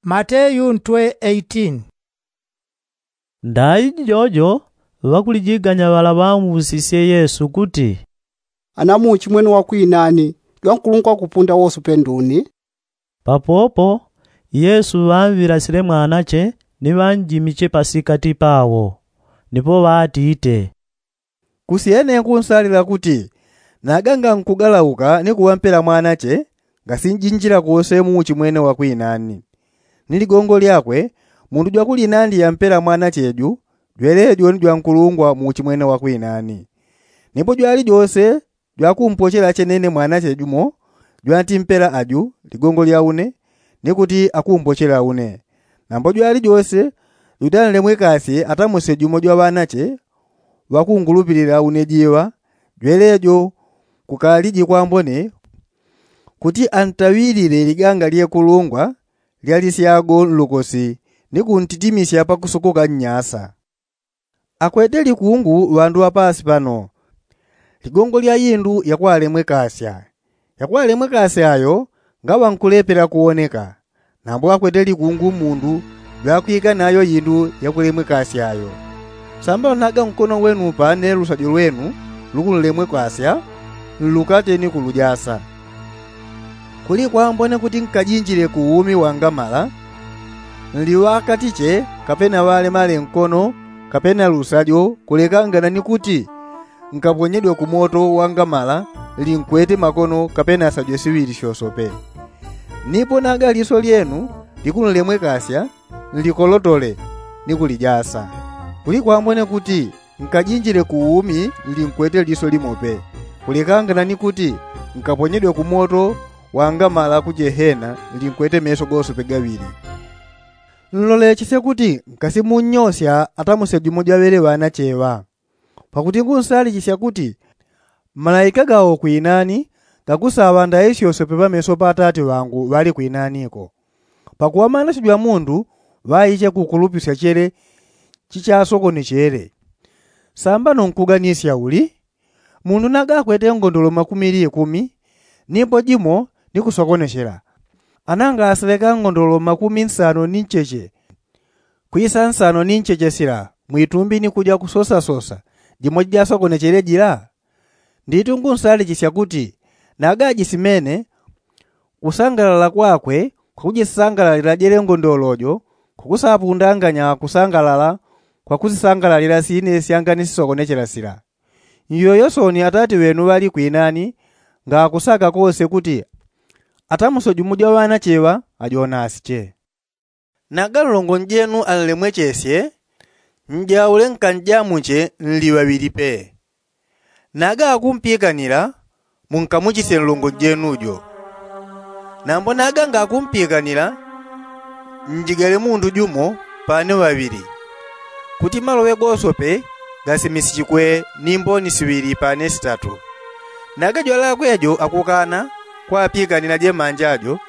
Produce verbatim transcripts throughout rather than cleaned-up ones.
Mateyu ntwe eighteen. Ndaiji jojo ŵakulijiganya ŵala ŵamusisye yesu kuti, ana muuchi mwene wa kwinani jwankulungwa kupunda wosope nduni? Papopo yesu ŵamŵilasile mwanache ni ŵanjimiche pasikati pawo. Nipo ŵatite, kusyene nkunsalila kuti naga ngankugalauka ni kuŵampela mwanache ngasinjinjila kose muuchi mwene wa kwinani. Ni ligongo lyakwe mundu jwakulinandi yampela mwanache ju jwelejo ni jwankulungwa muuchi mwene wa kwinani. Nipo jwalijose jwakumpochela chenene mwanache jumo jwantimpela aju ligongo lya une ni kuti akumpochela une. Nambo jwalijose jutanlemwekasye atamuse jumo jwa ŵanache ŵakungulupilila une jiŵa jwelejo kukaliji kwambone kuti antaŵilile liganga lyekulungwa lya lisyago nlukosi ni kuntitimisya pakusukuka nnyasa. Akwete likungu ŵandu ŵa paasi pano ligongo lya indu yakwalemwekasya. Yakwalemwekasya yo ngaŵa nkulepela kuwoneka. Nambo akwete likungu mundu jwakwika nayo indu yakulemwekasya yo. Samba naga nkono wenu pane lusajo lwenu lukunlemwekasya nlukate ni kulujasa. Kuli kwambone kuti nkajinjile ku umi wangamala nliŵakatiche kapena ŵalemale nkono kapena lusajo kulekangana ni kuti nkaponyedwe ku moto wangamala linkwete makono kapena sajo siŵili syosope. Nipo naga liso lyenu likunlemwekasya nlikolotole ni kulijasa. Kuli kwambone kuti nkajinjile ku umi nlinkwete liso limope kulekangana ni kuti nkaponyedwe ku moto wangamala ku jehena nlinkwete meso gosope gaŵili. Nlolechesye kuti nkasimunnyosya atamuse jumo jwaŵele ŵanache ŵa. Pakuti ngunsalichisya kuti malaika gawo kwinani gakusaŵa ndaisyosope pameso pa atati ŵangu ŵali kwinaniko. Pakuŵa manache jwa mundu ŵaiche kukulupisya chele chichasokonechele. Sambano nkuganisya uli? Mundu naga akwete ngondolo makumi likumi nipo jimo ni kusokonechela. Ana ngaseleka ngondolo makumi nsano ni ncheche kwisa nsano ni ncheche sila mwitumbi ni kuja kusosasosa jimo jijasokonechele jila? Nditu ngunsalichisya kuti naga ajisimene kusangalala kwakwe kwakujisangalalila jele ngondolo jo kukusapundanganya kusangalala kwakusisangalalila sine syangani sisokonechela sila. Nyoyo soni atati ŵenu ŵali kwinani ngakusaka kose kuti atamuse jumo jwa ŵanache ŵa ajonasiche. Naga nlongo njenu anlemwechesye njaule nkanjamuche nli ŵaŵili pe. Naga akumpikanila munkamuchisye nlongo njenu jo. Nambo naga ngakumpikanila njigale mundu jumo pane ŵaŵili kuti maloŵe gosope gasimisichikwe ni mboni siŵili pane sitatu. Naga jwalakwe jo akukana kwapikanila jemanja jo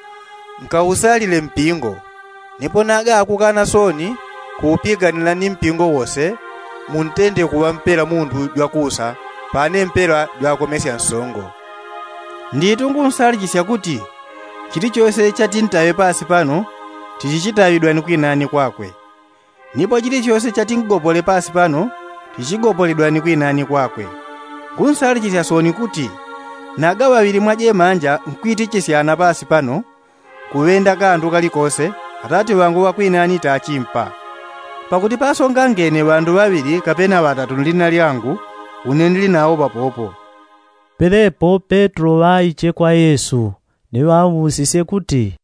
nkausalile mpingo. Nipo naga akukana soni kuupikanila ni mpingo wose muntende kuŵa mpela mundu jwakusa pane mpela jwakomesya nsongo. Nditu ngunsalichisya kuti chilichose chatintaŵe pasi pano tichichitaŵidwa ni kwinani kwakwe. Nipo chilichose chatingopole pasi pano tichigopoledwa ni kwinani kwakwe. Ngunsalichisya soni kuti naga ŵaŵili mwa jemanja nkwitichisyana pasi pano kuŵenda kandu kalikose atati ŵangu ŵakwinani tachimpa. Pakuti pasongangene ŵandu ŵaŵili kapena ŵatatu nlina lyangu une nli nawo papopo. Pelepo petro ŵaiche kwa yesu ni ŵamusisye kuti,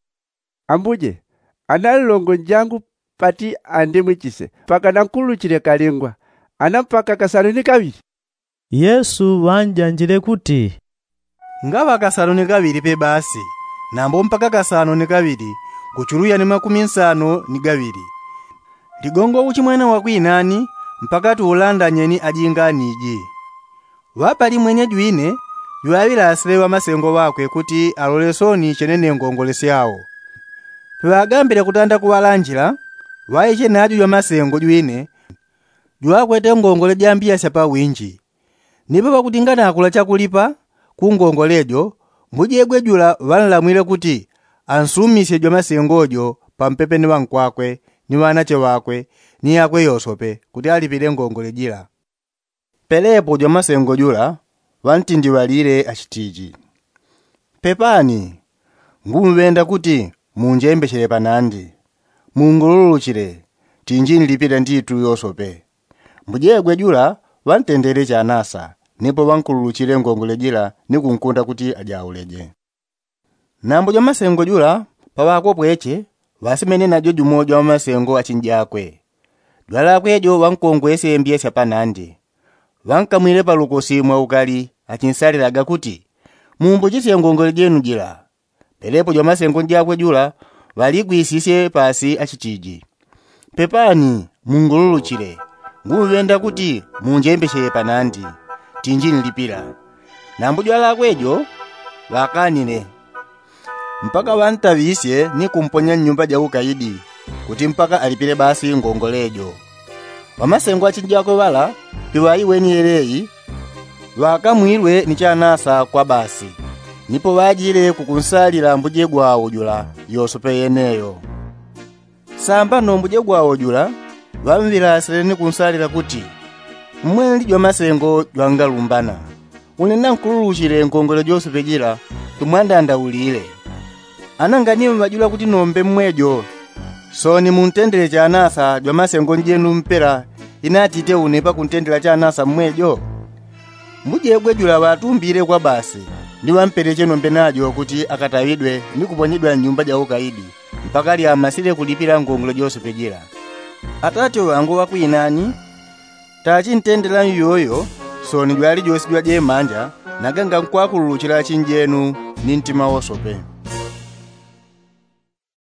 ambuje, ana nlongo njangu pati andimwichise mpaka nankuluchile kalingwa ana mpaka kasano ni kaŵili? Yesu ŵanjanjile kuti, ngaŵa kasano ni kaŵili pe basi. Nambo mpaka kasano ni kaŵili nguchuluya ni makumi nsano ni gaŵili. Ligongo uchimwene wakwinani mpaka tuulandanye ni ajinganiji. Ŵapalimwenye jwine jwaŵilasile ŵamasengo ŵakwe kuti alole soni chenene ngongole syao. Peŵagambile kutanda kuŵalanjila ŵaiche naju jwamasengo jwine jwakwete ngongole jambiya syapawinji. Nipo pakuti nganakula chakulipa ku ngongole jo mbujegwe jula ŵanlamwile kuti ansumisye jwamasengo jo. pampepe ni ŵankwakwe ni ŵanache ŵakwe ni yakwe yosope kuti alipile ngongole jila. Pelepo jwamasengo jula ŵantindiŵalile achitiji, pepani, ngumŵenda kuti munjembechele panandi, mungululuchile, tinji nlipila nditu yosope. Mbujegwe jula ŵantendele chanasa, nipo ŵankululuchile ngongole jila ni kunkunda kuti ajauleje. Nambo jwamasengo jula paŵakopweche ŵasemene najo jumo jwamasengo achinjakwe, jwalakwe jo ŵankongwese mbye sya panandi, ŵankamwile palukosi mwaukali achinsalilaga kuti, mumbochisye ngongole jenu jila. Pelepo jwamasengo njakwe jula ŵaligwisisye pasi achitiji, pepani, mungululuchile, ngumŵenda kuti munjembechele panandi, tinji nlipila. Nambo jwalakwe jo ŵakanile, mpaka ŵantaŵisye ni kumponya nnyumba ja ukaidi, kuti mpaka alipile basi ngongole jo. Ŵamasengo achinjakwe ŵala piŵaiweni yeleyi, ŵakamwilwe ni chanasa kwa basi, nipo ŵajile kukunsalila mbujegwawo jula yosope yeneyo. Sambano mbujegwawo jula ŵamŵilasile ni kunsalila kuti, mmweli jwamasengo jwangalumbana, une nankululuchile ngongole josope jila tumwandandaulile. Ana nganimŵa jula kuti nombe mmwejo, soni muntendele chanasa jwamasengo njenu mpela inatite une pakuntendela chanasa mmwejo. Mbujegwe jula ŵatumbile kwa basi ni ŵampeleche nombe najo kuti akataŵidwe ni kuponyedwa nnyumba ja ukaidi mpaka lyamasile kulipila ngongole josope jila. Atate ŵangu ŵakwinani, tachintendela nyoyo, soni jwali josi jwajemanja, nagangankwakululuchila achinjenu ni ntima wosope.